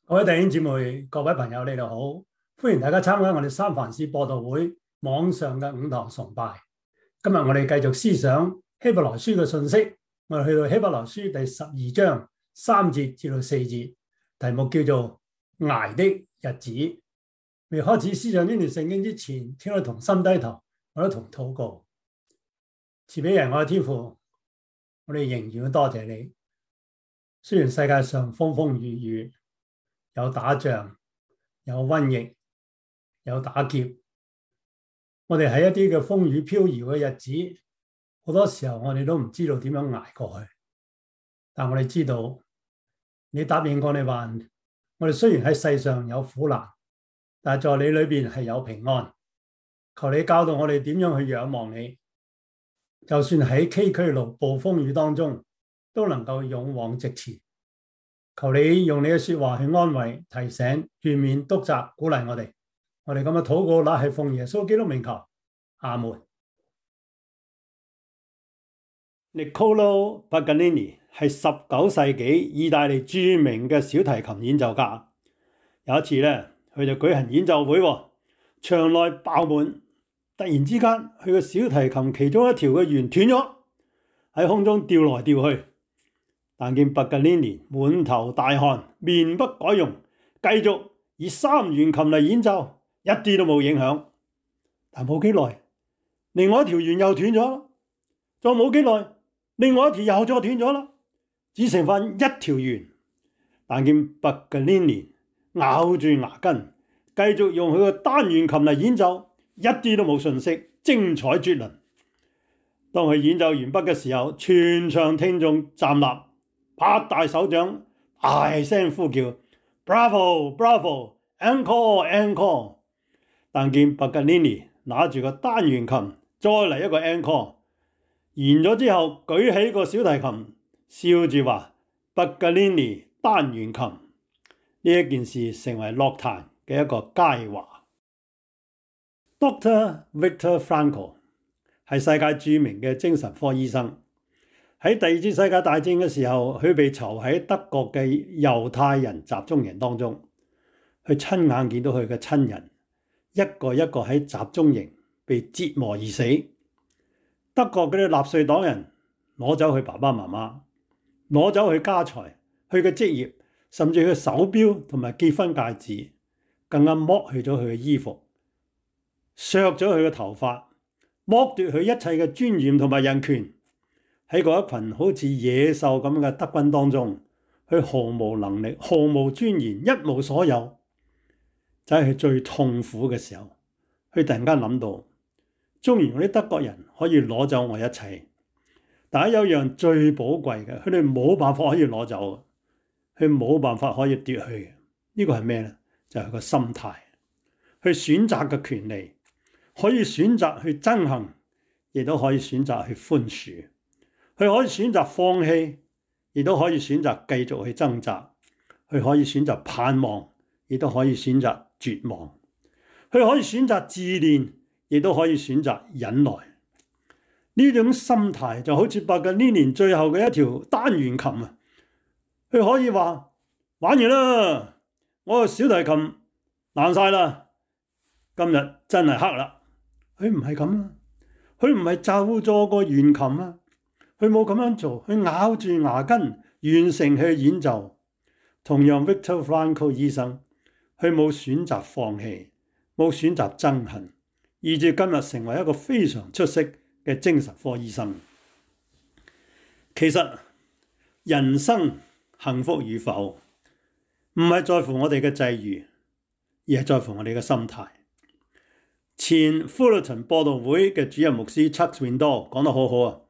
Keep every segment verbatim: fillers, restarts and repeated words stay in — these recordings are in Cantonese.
各位弟兄姊妹、各位朋友，你哋好！歡迎大家參加我哋三藩市播道會網上嘅五堂崇拜。今日我哋繼續思想希伯來書嘅信息，我哋去到希伯來書第十二章三節至到四節，題目叫做捱的日子。未開始思想呢段聖經之前，請我同心低頭，我都同禱告。賜俾人我嘅天父，我哋仍然要多謝你。雖然世界上風風雨雨，有打仗，有瘟疫，有打劫，我哋喺一啲嘅風雨飄搖嘅日子，好多時候我哋都唔知道點樣捱過去。但我哋知道，你答應過你話，我哋雖然喺世上有苦難，但係在你裏邊係有平安。求你教導我哋點樣去仰望你，就算喺崎嶇路、暴風雨當中，都能夠勇往直前。求你用你嘅說話去安慰、提醒、勸勉、督責、鼓勵我哋。我哋咁嘅禱告，乃係奉耶穌基督名求。阿門。Niccolò Paganini 係十九世紀意大利著名嘅小提琴演奏家。有一次咧，佢就舉行演奏會，場內爆滿。突然之間，佢嘅小提琴其中一條嘅弦斷咗，喺空中掉來掉去。但見巴格尼尼滿頭大汗，面不改容，繼續以三弦琴嚟演奏，一啲都冇影響。但冇幾耐，另外一條弦又斷咗，再冇幾耐，另外一條又再斷咗啦，只剩翻一條弦。但見巴格尼尼咬住牙根，繼續用佢嘅單弦琴嚟演奏，一啲都冇遜色，精彩絕倫。當佢演奏完畢嘅時候，全場聽眾站立，拍大手掌，大聲呼叫 Bravo Bravo Encore Encore。 但見巴格尼尼拿住個單弦琴，再嚟一個 Encore。 完咗之後，舉起個小提琴，笑住話巴格尼尼單弦琴。呢一件事成為樂壇嘅一個佳話。 Doctor Viktor Frankl 係世界著名嘅精神科醫生。喺第二次世界大戰嘅時候，佢被囚喺德國嘅猶太人集中營當中，佢親眼見到佢嘅親人一個一個喺集中營被折磨而死。德國嗰啲納粹黨人攞走佢爸爸媽媽，攞走佢家財、佢嘅職業，甚至佢嘅手錶同埋結婚戒指，更加剝去咗佢嘅衣服，削咗佢嘅頭髮，剝奪佢一切嘅尊嚴同埋人權。喺嗰一群好似野獸咁嘅德軍當中，佢毫無能力、毫無尊嚴、一無所有。就喺佢最痛苦嘅時候，佢突然間諗到，縱然嗰啲德國人可以攞走我一切，但係有樣最寶貴嘅，佢哋冇辦法可以攞走，佢冇辦法可以奪去嘅。呢個係咩呢？就係個心態。去選擇嘅權利，可以選擇去憎恨，亦都可以選擇去寬恕。佢可以選擇放棄，亦都可以選擇繼續去掙扎。佢可以選擇盼望，亦都可以選擇絕望。佢可以選擇自憐，亦都可以選擇忍耐。呢種心態就好似巴格尼尼最後嘅一條單弦琴啊！佢可以話玩完啦，我個小提琴爛晒啦，今日真係黑啦。佢唔係咁啊，佢唔係就咗個弦琴啊。佢冇咁樣做，佢咬住牙根完成佢演奏。同樣 Viktor Frankl 醫生，佢冇選擇放棄，冇選擇憎恨，以至今日成為一個非常出色嘅精神科醫生。其實人生幸福與否，唔係在乎我哋嘅際遇，而係在乎我哋嘅心態。前 Fullerton 播道會嘅主任牧師 Chuck Swindoll 講得好好啊！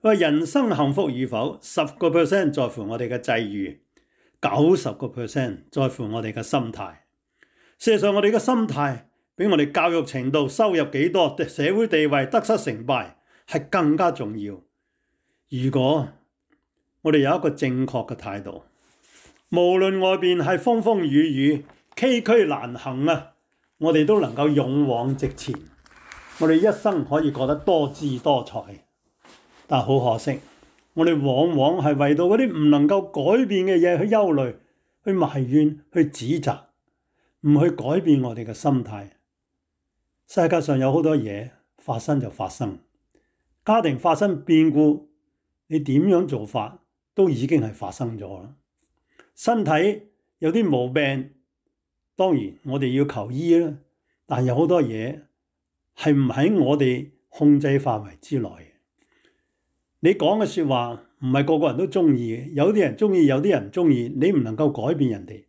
話人生幸福與否，十個 percent 在乎我哋嘅際遇，九十個 percent 在乎我哋嘅心態。事實上，我哋嘅心態比我哋教育程度、收入幾多、社會地位、得失成敗係更加重要。如果我哋有一個正確嘅態度，無論外邊係風風雨雨、崎嶇難行啊，我哋都能夠勇往直前。我哋一生可以過得多姿多彩。但好可惜，我哋往往係為到嗰啲唔能夠改變嘅嘢去憂慮，去埋怨、去指責，唔去改變我哋嘅心態。世界上有好多嘢發生就發生，家庭發生變故，你點樣做法都已經係發生咗啦。身體有啲毛病，當然我哋要求醫啦，但有好多嘢係唔喺我哋控制範圍之內。你講嘅說話唔係個個人都中意嘅，有啲人中意，有啲人唔中意，你唔能夠改變人哋。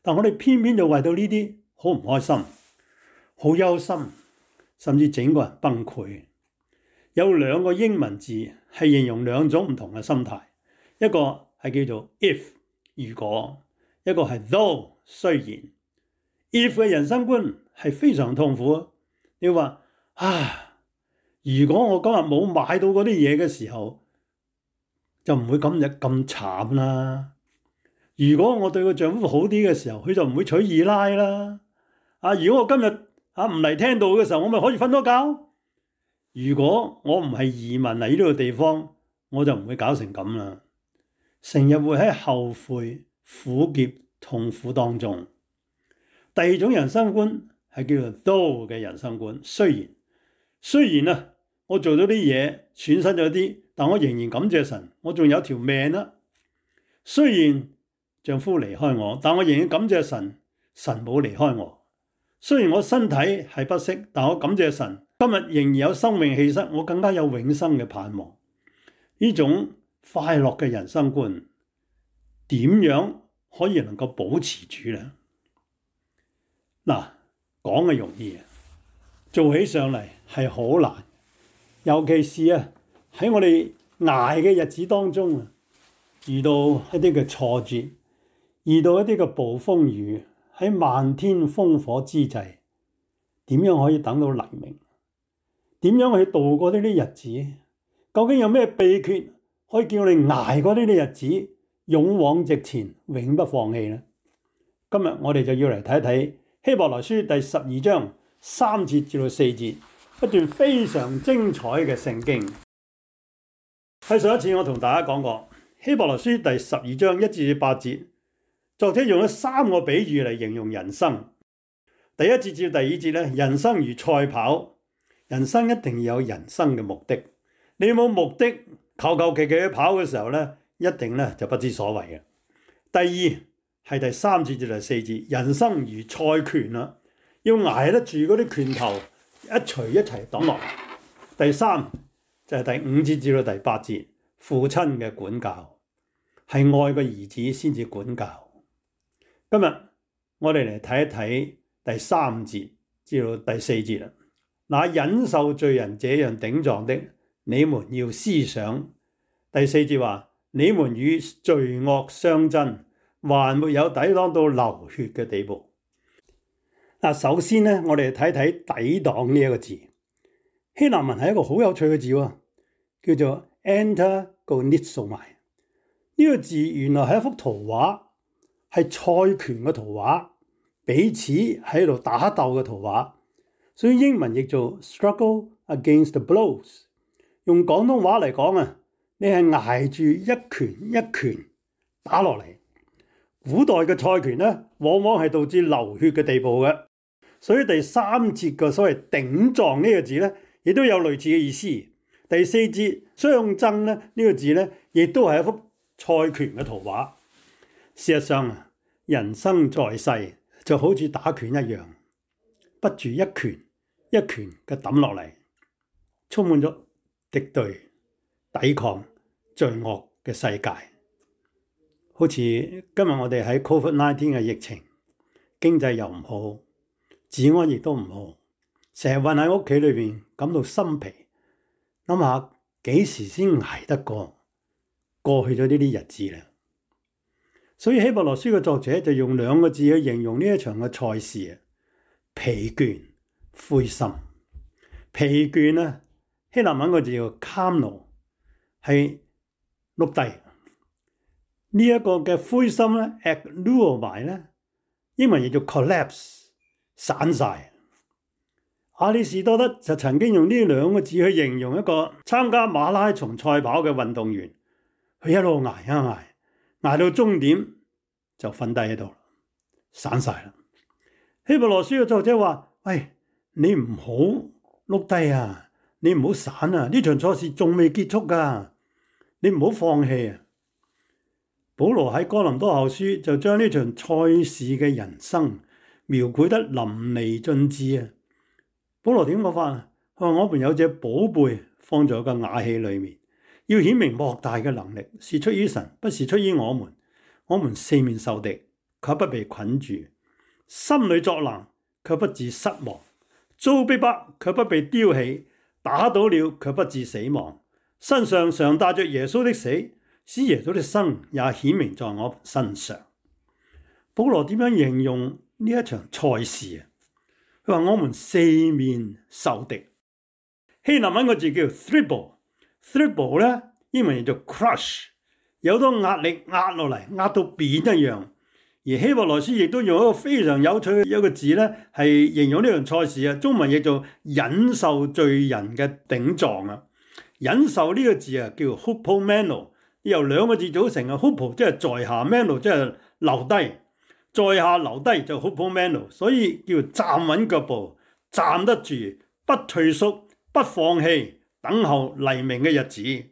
但我哋偏偏就為到呢啲好唔開心，好憂心，甚至整個人崩潰。有兩個英文字係形容兩種唔同嘅心態，一個係叫做 if 如果，一個係 though 雖然。if 嘅人生觀係非常痛苦。你話啊，如果我今日冇買到嗰啲嘢嘅時候，就唔會今日咁慘啦。如果我對個丈夫好啲嘅時候，佢就唔會娶二奶啦。啊，如果我今日啊唔嚟聽到嘅時候，我咪可以瞓多覺。如果我唔係移民嚟呢個地方，我就唔會搞成咁啦。成日會喺後悔、苦澀、痛苦當中。第二種人生觀係叫做 though 嘅人生觀，雖然雖然啊，我做咗啲嘢，損失咗啲，但我仍然感謝神，我仲有條命啦。雖然丈夫離開我，但我仍然感謝神，神冇離開我。雖然我身體係不適，但我感謝神，今日仍然有生命氣息，我更加有永生嘅盼望。呢種快樂嘅人生觀，點樣可以能夠保持住呢？嗱，講嘅容易，做起上嚟係好難，尤其是啊喺我哋捱嘅日子當中啊，遇到一啲嘅挫折，遇到一啲嘅暴風雨，喺漫天烽火之際，點樣可以等到黎明？點樣去度過呢啲日子？究竟有咩秘訣可以叫我哋捱過呢啲日子，勇往直前，永不放棄呢？今日我哋就要嚟睇睇希伯來書第十二章三節至到四節，一段非常精彩嘅聖經。喺上一次我同大家講過，希伯來書第十二章一至八節，作者用咗三個比喻嚟形容人生。第一節至第二節咧，人生如賽跑，人生一定要有人生嘅目的。你冇目的，求求其其去跑嘅時候咧，一定咧就不知所謂嘅。第二係第三節至第四節，人生如賽拳啦，要捱得住嗰啲拳頭一錘一齊抌落。第三就係第五節至到第八節，父親嘅管教係愛個兒子先至管教。今日我哋嚟睇一睇第三節至到第四節啦。那忍受罪人這樣頂撞的，你們要思想。第四節話：你們與罪惡相爭，還沒有抵擋到流血嘅地步。嗱，首先咧，我哋睇睇抵擋呢一個字。希臘文係一個好有趣嘅字喎，叫做 antagonizomai。呢個字原來係一幅圖畫，係賽拳嘅圖畫，彼此喺度打鬥嘅圖畫，所以英文譯做 struggle against the blows。用廣東話嚟講啊，你係捱住一拳一拳打落嚟。古代嘅賽拳咧，往往係導致流血嘅地步嘅，所以第三節嘅所謂頂撞呢個字咧，亦都有類似嘅意思。第四節相爭咧，呢個字咧，亦都係一幅賽拳嘅圖畫。事實上啊，人生在世就好似打拳一樣，不住一拳一拳嘅抌落嚟，充滿咗敵對、抵抗、罪惡嘅世界。好似今日我哋喺 covid 十九 嘅疫情，經濟又唔好，治安亦都唔好，成日困喺屋企裏邊，感到心疲。諗下幾時先捱得過過去咗呢啲日子咧？所以希伯來書嘅作者就用兩個字去形容呢一場嘅賽事啊：疲倦、灰心。疲倦咧，希臘文個字叫 kamo， 係碌低。呢一個嘅灰心咧 ekluomai 咧，英文亦叫 collapse， 散晒。亞里士多德就曾經用呢兩個字去形容一個參加馬拉松賽跑嘅運動員，佢一路捱一捱，捱到終點就瞓低喺度，散晒啦。希伯來書嘅作者話：喂，你唔好碌低啊，你唔好散啊，呢場賽事仲未結束噶，你唔好放棄啊！保羅喺哥林多後書就將呢場賽事嘅人生描繪得淋漓盡致啊！保羅點講法啊？佢話：我們有隻寶貝放在個瓦器裏面，要顯明莫大嘅能力是出於神，不是出於我們。我們四面受敵，卻不被捆住；心裏作難，卻不致失望；遭逼迫，卻不被丟棄；打倒了，卻不致死亡。身上常帶着耶穌的死，使耶穌的生也顯明在我身上。保羅點樣形容呢一場賽事啊？佢話：我們四面受敵。希臘文個字叫 thrible，thrible 咧英文叫做 crush。有好多壓力壓落嚟，壓到扁一樣。而希伯來書亦都用一個非常有趣嘅一個字咧，係形容呢場賽事啊。中文譯做忍受罪人嘅頂撞啊。忍受呢個字啊，叫 hupomeno， 由兩個字組成啊。hupo 即係在下 ，meno 即係留低，在下留低就 hupomeno， 所以叫站穩腳步，站得住，不退縮，不放棄，等候黎明嘅日子。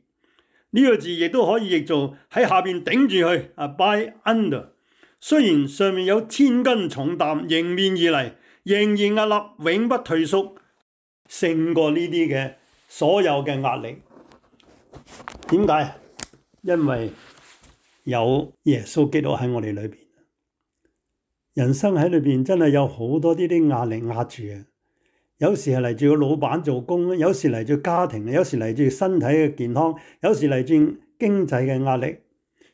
呢個字亦都可以譯做喺下邊頂住去啊 ，by under。雖然上面有千斤重擔迎面而嚟，仍然屹立，永不退縮，勝過呢啲嘅所有嘅壓力。點解？因為有耶穌基督喺我哋裏邊。人生喺裏邊真係有好多呢啲壓力壓住啊！有時係嚟自個老闆做工，有時嚟自家庭，有時嚟自身體嘅健康，有時嚟自經濟嘅壓力，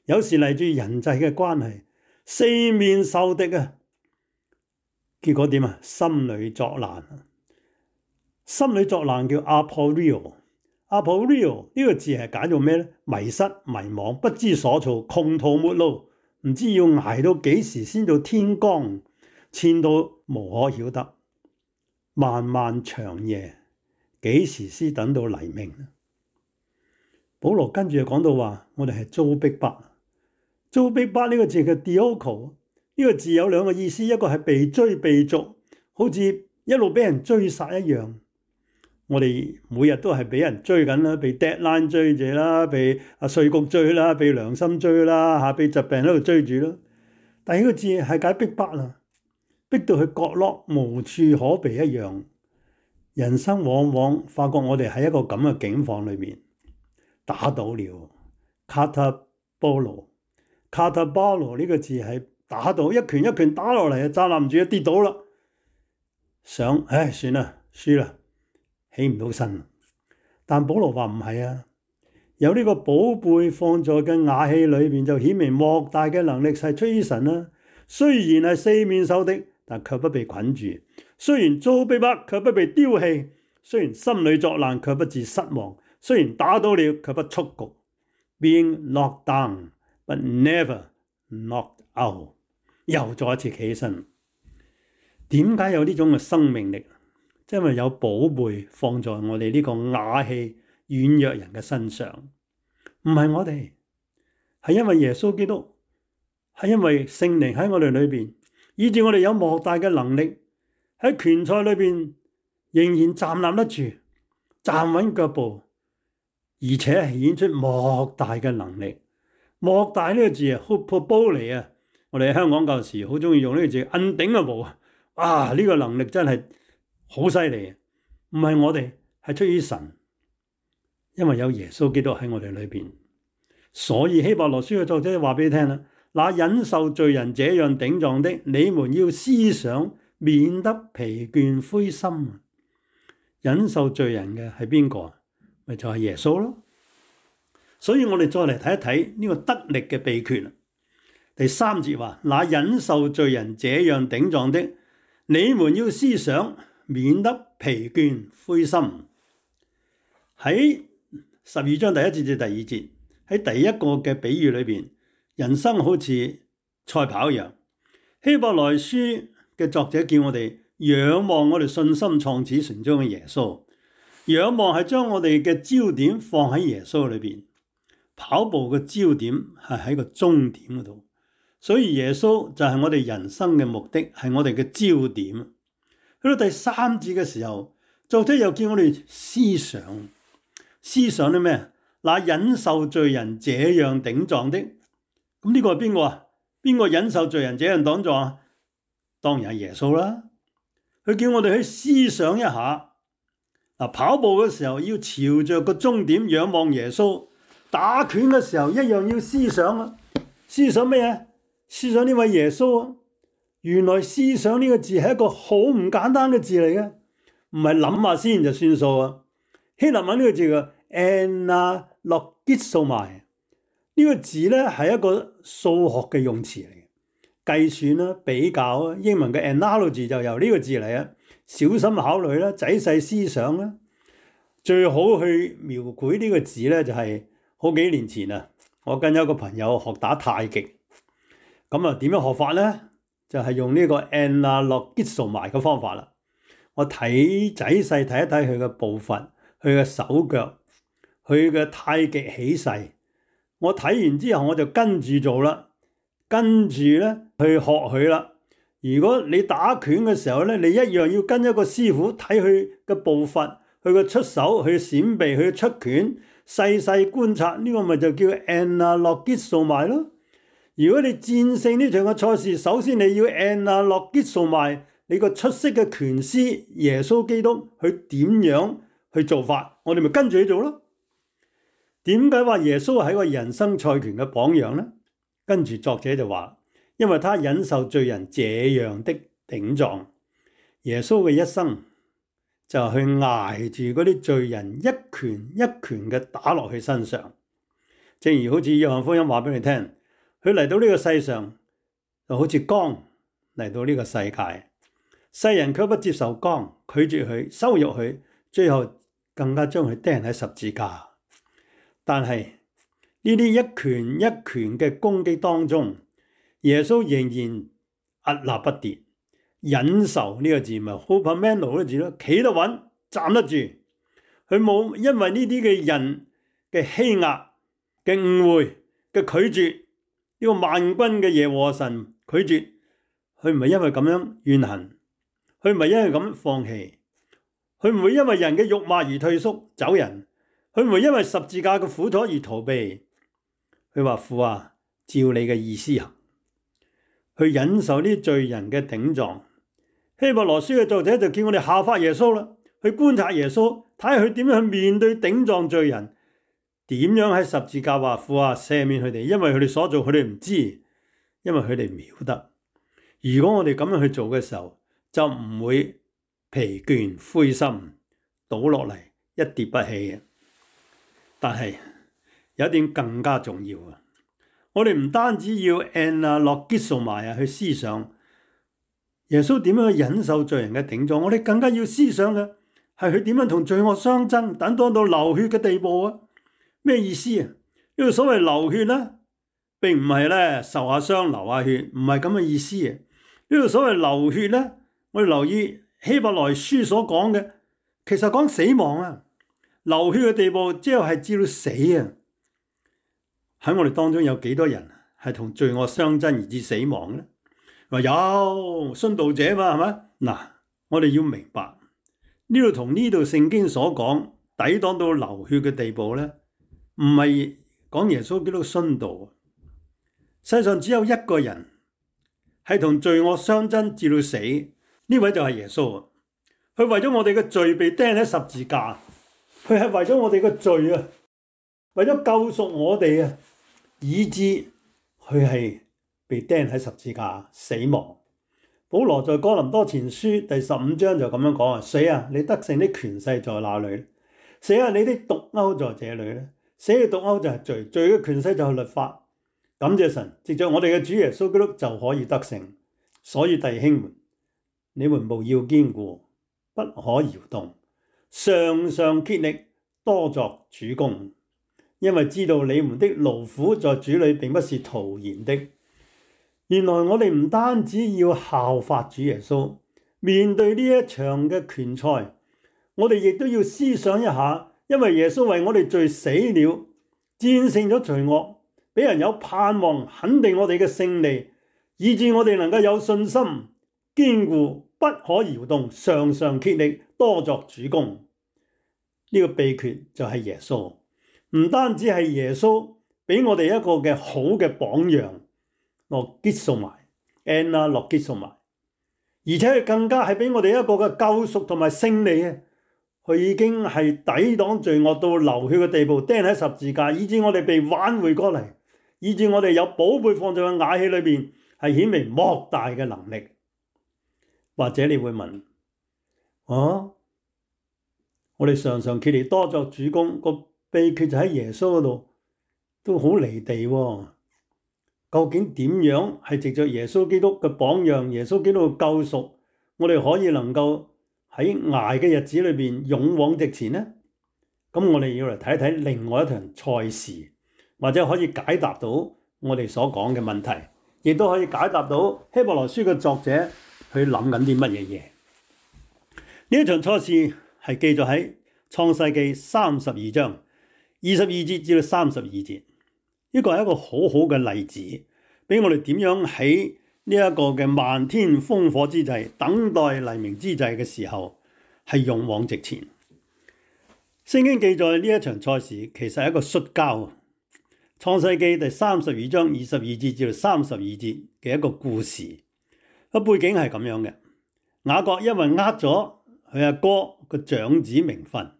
有時嚟自人際嘅關係，四面受敵啊！結果點啊？心裏作難。心裏作難叫 aporio，aporio 呢個字係解做咩咧？迷失、迷惘、不知所措、窮途末路，唔知要捱到幾時先到天光，千到無可曉得。漫漫長夜，幾時先等到黎明？保羅跟住就講到話，我哋係遭逼迫。遭逼迫呢個字叫 dioko， 呢個字有兩個意思，一個係被追被逐，好似一路俾人追殺一樣。我哋每日都係俾人追緊啦，被 deadline 追住啦，被啊稅局追啦，被良心追啦，吓被疾病喺度追住啦。第二個字係解逼迫啦。逼到去角落無處可避一樣，人生往往發覺我哋喺一個咁嘅境況裏面打倒了。katabolo，katabolo 呢個字係打倒，一拳一拳打落嚟啊，站立唔住啊，跌倒啦，想唉算啦，輸啦，起唔到身。但保羅話唔係啊，有呢個寶貝放在嘅瓦器裏邊，就顯明莫大嘅能力係出於神啦。雖然係四面受敵，但卻不被捆住；雖然遭逼迫，卻不被丟棄；雖然心裏作難，卻不致失望；雖然打倒了，卻不束局。Being knocked down, but never knocked out。又再一次企起身。點解有呢種嘅生命力？因為有寶貝放在我哋呢個瓦器軟弱人嘅身上，唔係我哋，係因為耶穌基督。係因為聖靈喺我哋裏邊，以致我哋有莫大嘅能力喺拳賽裏邊仍然站立得住，站穩腳步，而且顯出莫大嘅能力。莫大呢個字啊 ，hupobole 啊，我哋喺香港舊時好中意用呢個字，undignable啊！啊，呢個能力真係好犀利，唔係我哋，係出於神，因為有耶穌基督喺我哋裏邊，所以希伯來書嘅作者話俾你聽啦。那忍受罪人這樣頂撞的，你們要思想，免得疲倦灰心。忍受罪人嘅係邊個？咪就係耶穌咯。所以我哋再嚟睇一睇呢個得力嘅秘訣。第三節話：那忍受罪人這樣頂撞的，你們要思想，免得疲倦灰心。喺十二章第一節至第二節，喺第一個嘅比喻裏邊。人生好似賽跑一樣，希伯來書嘅作者叫我哋仰望我哋信心創始成終嘅耶穌，仰望係將我哋嘅焦點放喺耶穌裏邊，跑步嘅焦點係喺個終點嗰度，所以耶穌就係我哋人生嘅目的，係我哋嘅焦點。去到第三節嘅時候，作者又叫我哋思想，思想啲咩？嗱，忍受罪人這樣頂撞的，咁呢個係邊個啊？邊個忍受罪人這樣頂撞啊？當然係耶穌啦。佢叫我哋去思想一下。嗱，跑步嘅時候要朝着個終點仰望耶穌，打拳嘅時候一樣要思想啊。思想咩啊？思想呢位耶穌啊。原來思想呢個字係一個好唔簡單嘅字嚟嘅，唔係諗下先就算數啊。希臘文呢個字叫 analogizomai， 呢個字咧係一個數學嘅用詞嚟嘅，計算啦、比較啊。英文嘅 analogy 就由呢個字嚟啊。小心考慮啦，仔細思想啦。最好去描繪呢個字咧，就係好幾年前啊，我跟一個朋友學打太極，咁啊點樣學法咧？就係用呢個 analogizomai 嘅方法啦。我睇仔細睇一睇佢嘅步伐，佢嘅手腳，佢嘅太極起勢。我睇完之後我就跟住做啦，跟住咧去學佢啦。如果你打拳嘅時候咧，你一樣要跟一個師傅睇佢嘅步伐，佢嘅出手，佢嘅閃避，佢嘅出拳，細細觀察，呢個咪就叫 analogizomai咯。如果你戰勝呢場嘅賽事，首先你要 analogizomai你個出色嘅拳師耶穌基督，佢點樣去做法，我哋咪跟住去做咯。點解話耶穌係個人生賽拳嘅榜樣呢？跟住作者就話，因為他忍受罪人這樣的頂撞。耶穌嘅一生就去捱住嗰啲罪人一拳一拳嘅打落去身上。正如好似約翰福音話俾你聽，佢嚟到呢個世上就好似光嚟到呢個世界，世人卻不接受光，拒絕佢，羞辱佢，最後更加將佢釘喺十字架。但係呢啲一拳一拳嘅攻擊當中，耶穌仍然屹立不跌，忍受呢個字咪 hupomeno 呢個字咯，企得穩，站得住。佢冇因為呢啲嘅人嘅欺壓、嘅誤會、嘅拒絕，呢個萬軍嘅耶和華神拒絕，佢唔係因為咁樣怨恨，佢唔係因為咁放棄，佢唔會因為人嘅辱罵而退縮走人，佢唔會因為十字架嘅苦楚而逃避。佢話，父啊，照你嘅意思行，去忍受呢啲罪人嘅頂撞。希伯來書嘅作者就叫我哋效法耶穌啦，去觀察耶穌，睇下佢點樣去面對頂撞罪人，點樣喺十字架話，父啊，赦免佢哋，因為佢哋所做佢哋唔知，因為佢哋唔曉得。如果我哋咁樣去做嘅時候，就唔會疲倦灰心倒落嚟一跌不起嘅。但係有一點更加重要啊！我哋唔單止要 analogizomai 啊去思想耶穌點樣去忍受罪人嘅頂撞，我哋更加要思想嘅係佢點樣同罪惡相爭，等到到流血嘅地步啊！咩意思啊？呢個所謂流血咧，並唔係咧受下傷流下血，唔係咁嘅意思啊！呢個所謂流血咧，我哋留意希伯來書所講嘅，其實講死亡啊！流血嘅地步，即係至到死啊！喺我哋當中有幾多人係同罪惡相爭而至死亡咧？話有殉道者嘛，係咪？嗱，我哋要明白呢度同呢度聖經所講抵擋到流血嘅地步咧，唔係講耶穌基督殉道。世上只有一個人係同罪惡相爭至到死，呢位就係耶穌啊！佢為咗我哋嘅罪被釘喺十字架，佢係為咗我哋嘅罪啊，為咗救贖我哋啊，以致佢係被釘喺十字架死亡。保羅在哥林多前書第十五章就咁樣講啊：死啊，你得勝的權勢在哪裏？死啊，你的毒鈎在這裏咧。死嘅毒鈎就係罪，罪嘅權勢就係律法。感謝神，藉着我哋嘅主耶穌基督就可以得勝。所以弟兄們，你們務要堅固，不可搖動，常常竭力多作主工，因為知道你們的勞苦在主裏並不是徒然的。原來我哋唔單止要效法主耶穌，面對呢一場嘅拳賽，我哋亦都要思想一下，因為耶穌為我哋罪死了，戰勝咗罪惡，俾人有盼望，肯定我哋嘅勝利，以致我哋能夠有信心、堅固、不可搖動，常常竭力多作主工。呢個秘訣就係耶穌，唔單止係耶穌俾我哋一個嘅好嘅榜樣，落結數埋，Anna 落結數埋，而且佢更加係俾我哋一個嘅救贖同埋勝利啊！佢已經係抵擋罪惡到流血嘅地步，釘喺十字架，以致我哋被挽回過嚟，以致我哋有寶貝放在個瓦器裏邊，係顯明莫大嘅能力。或者你會問，啊，我哋常常竭力多作主工，個秘訣就喺耶穌嗰度，都好離地喎。究竟點樣係藉着耶穌基督嘅榜樣，耶穌基督嘅救贖，我哋可以能夠喺捱嘅日子裏邊勇往直前呢？咁我哋要嚟睇一睇另外一場賽事，或者可以解答到我哋所講嘅問題，亦都可以解答到希伯來書嘅作者去諗緊啲乜嘢嘢。呢一場賽事係記載喺創世記三十二章二十二節至到三十二節，呢個係一個好好嘅例子，俾我哋點樣喺呢一個嘅漫天烽火之際，等待黎明之際嘅時候，係勇往直前。聖經記載呢一場賽事其實係一個摔跤，創世記第三十二章二十二節至到三十二節嘅一個故事。個背景係咁樣嘅，雅各因為呃咗佢阿哥個長子名分，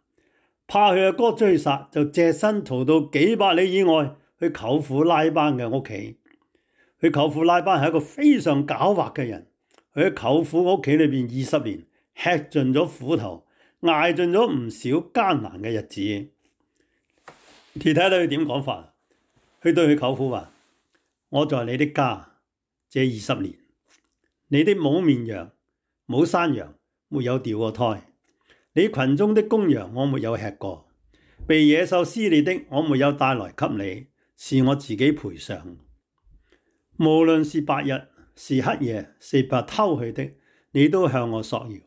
怕佢阿哥追殺，就隻身逃到幾百里以外去舅父拉班嘅屋企。佢舅父拉班係一個非常狡猾嘅人，佢喺舅父屋企裏邊二十年，吃盡咗苦頭，挨盡咗唔少艱難嘅日子。你睇睇佢點講法？佢對佢舅父話：我在你的家這二十年，你的母綿羊、母山羊沒有掉過胎，你群中的公羊我沒有吃過，被野獸撕裂的我沒有帶來給你，是我自己賠償。無論是白日是黑夜，是被偷去的，你都向我索要。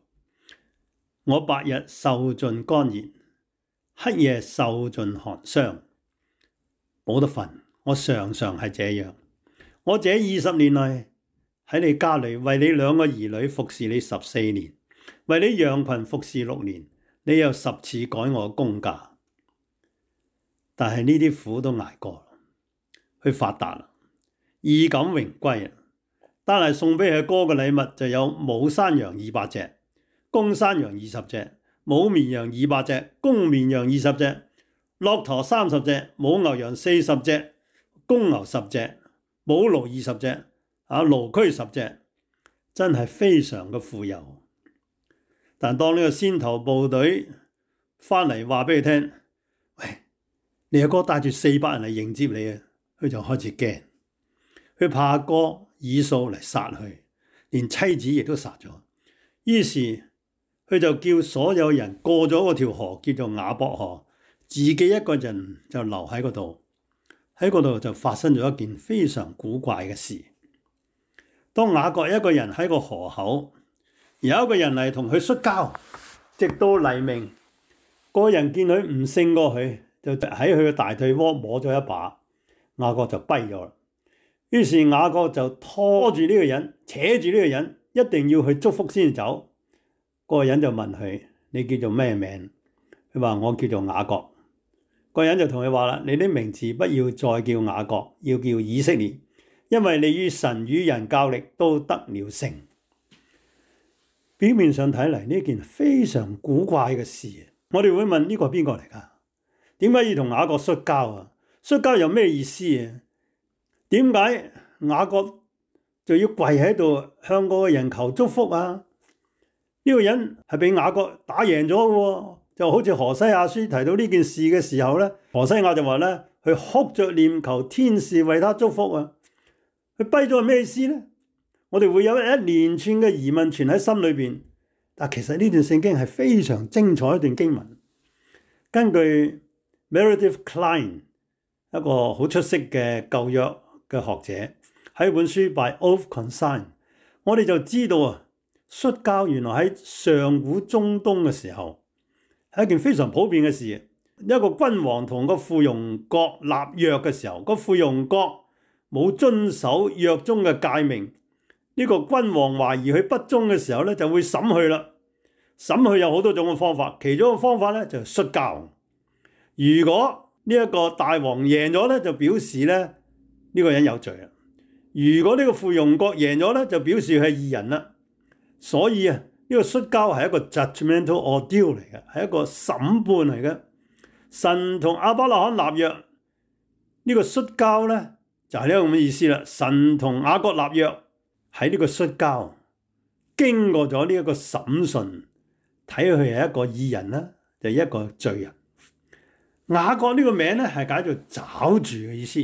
我白日受盡乾熱，黑夜受盡寒霜，冇得瞓。我常常係這樣。我這二十年來喺你家裏為你兩個兒女服侍你十四年，為你羊群服侍六年，你又十次改我工價。但係呢啲苦都捱過，佢發達啦，衣錦榮歸啊！單係送俾佢哥嘅禮物就有母山羊二百隻，公山羊二十隻，母綿羊二百隻，公綿羊二十隻，駱駝三十隻，母牛羊四十隻，公牛十隻，母驢二十隻，啊驢駒十隻，真係非常嘅富有。但當呢個先頭部隊翻嚟話俾佢聽，喂，你阿哥帶住四百人嚟迎接你啊，佢就開始驚，佢怕阿哥以掃嚟殺佢，連妻子亦都殺咗。於是佢就叫所有人過咗嗰條河，叫做雅博河，自己一個人就留喺嗰度。喺嗰度就發生咗一件非常古怪嘅事。當雅各一個人喺個河口，有一個人嚟同佢摔跤，直到黎明。個人見佢唔勝過佢，就喺佢嘅大腿窩摸咗一把，雅各就跛咗啦。於是雅各就拖住呢個人，扯住呢個人，一定要去祝福先走。個人就問佢：你叫做咩名？佢話：我叫做雅各。個人就同佢話啦：你的名字不要再叫雅各，要叫以色列，因為你與神與人較力都得了勝。表面上睇嚟呢件非常古怪嘅事，我哋會問呢個係邊個嚟㗎？點解要同雅各摔跤啊？摔跤有咩意思啊？點解雅各就要跪喺度向嗰個人求祝福啊？呢個人係俾雅各打贏咗嘅喎。就好似何西阿書提到呢件事嘅時候咧，何西阿就話咧，佢哭着念求天使為他祝福啊。佢跛咗係咩意思咧？我哋會有一連串嘅疑問存喺心裏邊。但其實呢段聖經係非常精彩一段經文。根據 Meredith Kline 一個好出色嘅舊約嘅學者喺本書 By Oath Consign， 我哋就知道啊，摔跤原來喺上古中東嘅時候係一件非常普遍嘅事。一個君王同個附庸國立約嘅時候，個附庸國冇遵守約中嘅誡命，呢個君王懷疑佢不忠嘅時候咧，就會審佢啦。審佢有好多種嘅方法，其中一個方法咧就係摔跤。如果呢一個大王贏咗咧，就表示咧呢個人有罪啦。如果呢個附庸國贏咗咧，就表示佢係義人啦。所以啊，呢個摔跤係一個 judgmental ordeal 嚟嘅，係一個審判嚟嘅。神同亞伯拉罕立約，呢個摔跤咧就係呢個咁嘅意思啦。神同雅各立約，喺呢個摔跤經過咗呢一個審訊，睇佢係一個義人啦，就係一個罪人。雅各呢個名咧係解做抓住嘅意思。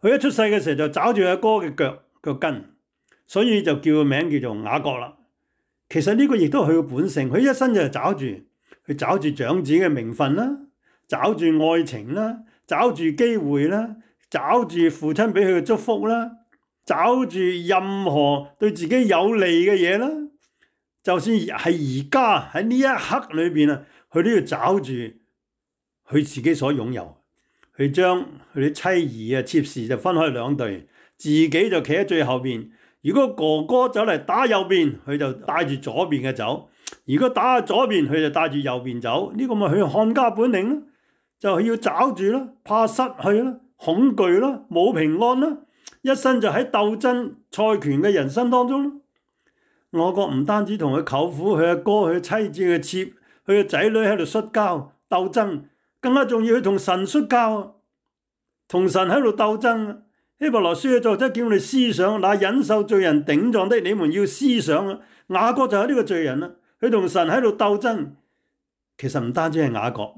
佢一出世嘅時候就抓住阿哥嘅腳腳跟，所以就叫個名叫做雅各啦。其實呢個亦都係佢嘅本性，佢一生就係抓住，佢抓住長子嘅名分啦，抓住愛情啦，抓住機會啦，抓住父親俾佢嘅祝福啦，抓住任何對自己有利嘅嘢啦。就算係而家喺呢一刻裏邊啊，佢都要抓住佢自己所擁有。佢將佢啲妻兒啊、妾侍就分開兩隊，自己就企喺最後邊。如果哥哥走嚟打右邊，佢就帶住左邊嘅走；如果打下左邊，佢就帶住右邊走。呢個咪佢漢家本領咯，就係要抓住啦，怕失去啦，恐懼啦，冇平安啦，一生就喺鬥爭賽權嘅人生當中咯。雅各唔單止同佢舅父、佢阿哥、佢妻子、佢妾、佢嘅仔女喺度摔跤鬥爭，更加重要，佢同神摔跤，同神喺度鬥爭。希伯來書嘅作者叫我哋思想，那忍受罪人頂撞的，你們要思想啊！雅各就係呢個罪人啦，佢同神喺度鬥爭。其實唔單止係雅各，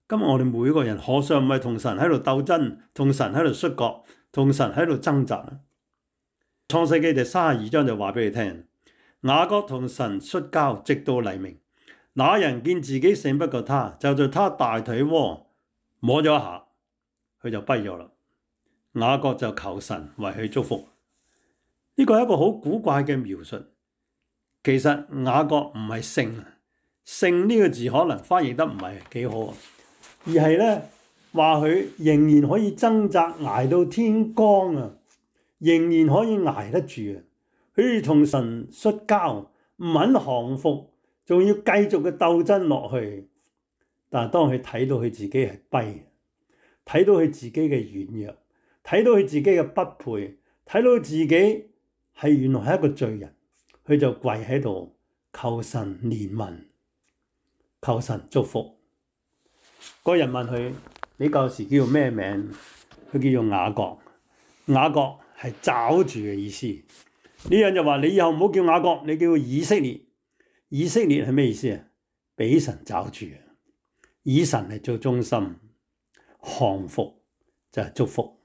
今日我哋每個人何嘗唔係同神喺度鬥爭，同神喺度摔角，同神喺度掙扎啊！創世記第三十二章就話俾你聽，雅各同神摔跤，直到黎明。那人見自己勝不過他，就在他大腿窩摸咗一下，佢就跛咗啦。雅各就求神為佢祝福。呢個係一個好古怪嘅描述。其實雅各唔係勝，勝呢個字可能翻譯得唔係幾好，而係咧話佢仍然可以掙扎捱到天光啊，仍然可以捱得住啊。佢同神摔跤，唔肯降服，仲要繼續嘅鬥爭落去。但係當佢睇到佢自己係跛，睇到佢自己嘅軟弱，睇到佢自己嘅不配，睇到自己係原來係一個罪人，佢就跪喺度求神憐憫，求神祝福。嗰人問佢：你舊時叫做咩名？佢叫做雅各。雅各係抓住嘅意思。呢人就話：你以後唔好叫雅各，你叫以色列。以色列係咩意思啊？俾神抓住，以神嚟做中心，降服就係祝福。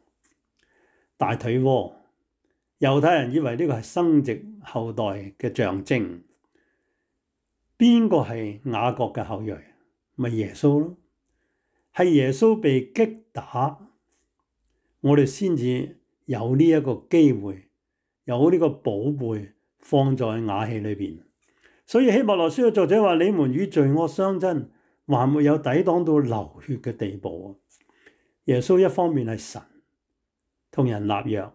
大腿窩，猶太人以為呢個係生殖後代嘅象徵。邊個係雅各嘅後裔？咪耶穌咯。係耶穌被擊打，我哋先至有呢一個機會，有呢個寶貝放在瓦器裏邊。所以希伯來書嘅作者話：你們與罪惡相爭，還沒有抵擋到流血嘅地步。耶穌一方面係神，同人立約，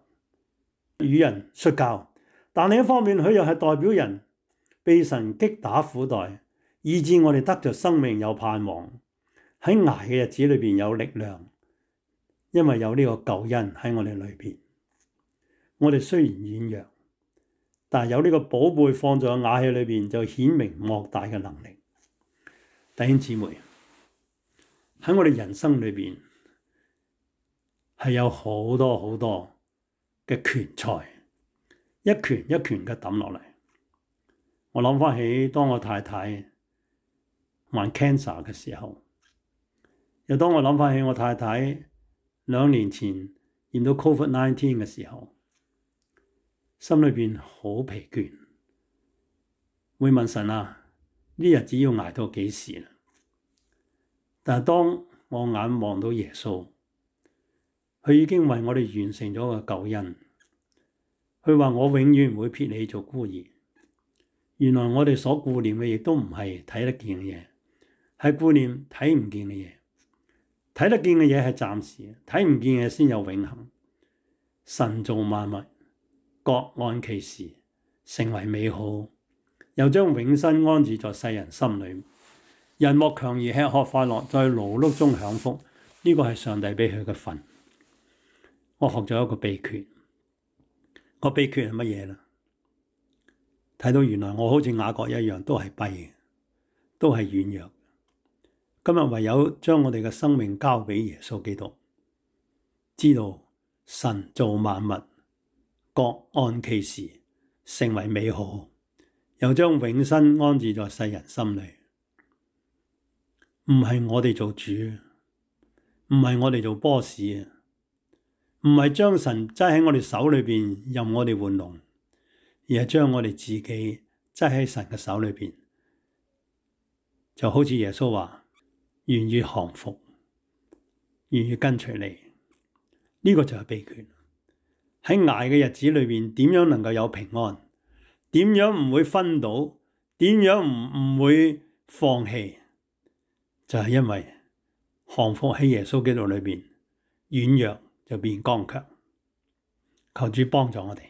與人摔跤，但另一方面佢又係代表人，被神擊打苦待，以致我哋得着生命有盼望，喺捱嘅日子裏邊有力量，因為有呢個救恩喺我哋裏邊。我哋雖然軟弱，但係有呢個寶貝放在瓦器裏邊，就顯明莫大嘅能力。弟兄姊妹，喺我哋人生裏邊係有好多好多嘅拳賽，一拳一拳嘅抌落嚟。我諗翻起當我太太患 cancer 嘅時候，又當我諗翻起我太太兩年前驗到 covid nineteen 嘅時候，心裏邊好疲倦，會問神啊，呢日子要捱到幾時啊？但係當我眼望到耶穌，佢已經為我哋完成咗個救恩。佢話我永遠唔會撇你做孤兒。原來我哋所顧念嘅亦都唔係睇得見嘅嘢，係顧念睇唔見嘅嘢。睇得見嘅嘢係暫時，睇唔見嘅先有永恆。神造萬物，各按其時，成為美好，又將永生安置在世人心裏。人莫強而吃喝快樂，在勞碌中享福，呢、這個係上帝俾佢嘅份。我學咗一個秘訣，個秘訣係乜嘢呢？睇到原來我好似雅各一樣，都係跛嘅，都係軟弱。今日唯有將我哋嘅生命交俾耶穌基督，知道神造萬物，各按其時，成為美好，又將永生安置在世人心裏。唔係我哋做主，唔係我哋做 boss 啊，唔係將神揸喺我哋手裏邊任我哋玩弄，而係將我哋自己揸喺神嘅手裏邊，就好似耶穌話，願意降服，願意跟隨你。呢、這個就係秘訣。喺捱嘅日子裏邊，點樣能夠有平安？點樣唔會昏倒？點樣唔唔會放棄？就係因為降服喺耶穌基督裏邊，軟弱就變剛強。求主幫助我哋，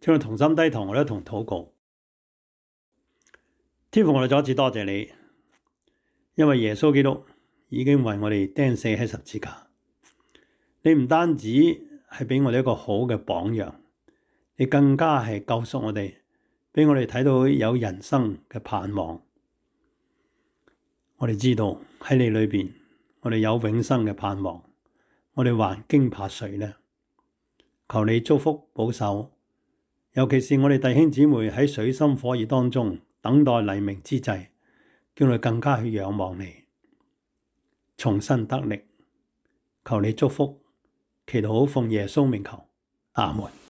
請我同心低頭，我哋一同禱告。天父，我哋再一次多謝你，因為耶穌基督已經為我哋釘死喺十字架。你唔單止係俾我哋一個好嘅榜樣，你更加係救贖我哋，俾我哋睇到有人生嘅盼望。我哋知道喺你裏邊，我哋有永生嘅盼望。我哋還驚怕誰呢？求你祝福保守，尤其是我哋弟兄姊妹喺水深火熱當中等待黎明之際，叫我哋更加去仰望你，重新得力。求你祝福，祈禱奉耶穌名求，阿門。